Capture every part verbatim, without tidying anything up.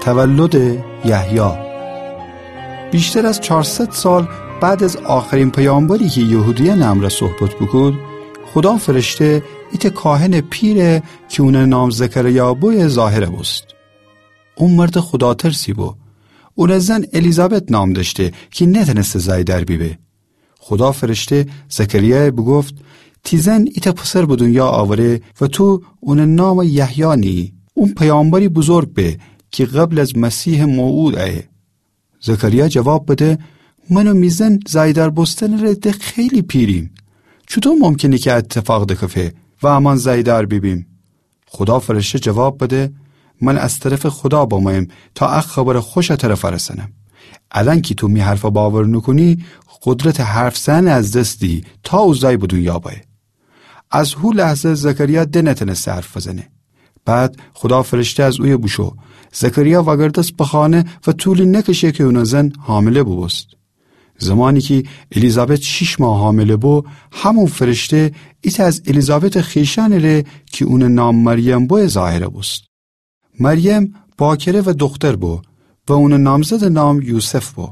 تولد یحیی. بیشتر از چارصد سال بعد از آخرین پیامبری کی یهودیأنٚ امرأ صحبت بوکود، خودا فرشته ایتأ کاهنٚ پیره کی اونٚ نام زکریا بویه ظاهر بوست. او مردٚ خوداترسی بو. اونٚ زن الیزابت نام دأشته کی نتأنسته زأی در بیبه. خودا فرشته زکریایَ بوگفت: تی زن ایتأ پسر به دونیا آوره و تو اونٚ نامَ یحیی نییی. اون پیامبری بزرگ به کی قبل از مسیحٚ موعود ایه. زکریا جواب بده: من و می زن زأی‌دار بوستنٚ ره ده خیلی پیریم. چوطو ممکنه کی ا ایتفاق دکفه و امأن زأی‌دار بیبیم؟ خودا فرشته جواب بده: من از طرفٚ خودا بمویم تا ا خبرٚ خوشَ تره فأرسأنم. الأن کی تو می حرفَ باور نوکونی، قدرتٚ حرف زئن از دس دیی تا او زأی به دونیا بأیه. از هو لحظه زکریا ده نتأنسته حرف بزنه. بعد خودا فرشته از اویه بوشو. زکریا وأگردس به خانه و طولی نکشه کی اونٚ زن حامله بوبوست. زمانی کی الیزابت شیش ماه حامله بو، همون فرشته ایتأ از الیزابتٚ خویشأنٚ ره کی اونٚ نام مریم بویه ظاهر بوست. مریم باکره و دوختر بو و اونٚ نامزدٚ نام یوسف بو.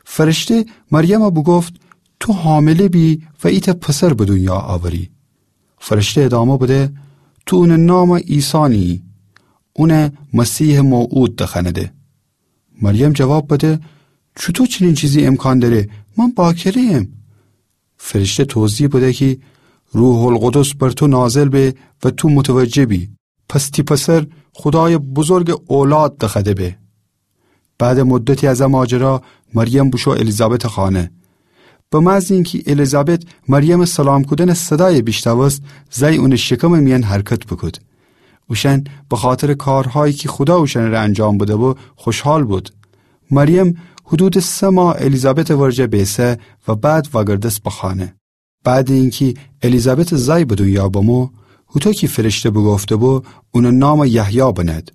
فرشته مریمَ بوگفت: تو حامله بی و ایتأ پسر به دونیا آوری. فرشته ادامه بده: تو اونٚ نامَ عیسی نییی. اونَ مسیحٚ موعود دخوأنده. مریم جواب بده: چوطو چنین چیزی امکان دأره؟ من باکره‌یم. فرشته توضیح بده کی روح‌القدس بر تو نازل به و تو متوجه بی. پس تی پسر خودایٚ بزرگٚ اولاد دخوأده به. بعدٚ مدتی از ا ماجرا مریم بوشو الیزابتٚ خانه. به محض اینکی الیزابت مریمٚ سلام کودنٚ صدایَ بیشنوست، زأی اونٚ شکمٚ میأن حرکت بوکود. اوشأن بخاطرٚ کارهایی کی خودا اوشأنٚ ره انجام بده‌بو خوشحال بود. مریم حدودٚ سه ماه الیزابتٚ ورجه بیسه و بعد وأگردس به خانه. بعدٚ اینکی الیزابتٚ زأی به دونیا بمو، هوطو کی فرشته بوگفته‌بو، اونٚ نامَ یحیی بنأد.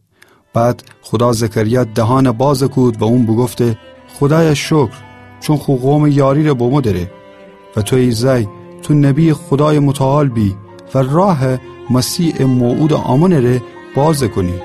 بعد خودا زکریایٚ دهانَ بازَ کود و اون بوگفته: خودایا شکر، چون خو قومٚ یاری‌ره بمو دأره. و تو ای زأی، تو نبیٚ خودایٚ متعال بی و راهَ مسیحٚ موعودٚ آمونٚ ره بازَ کونی.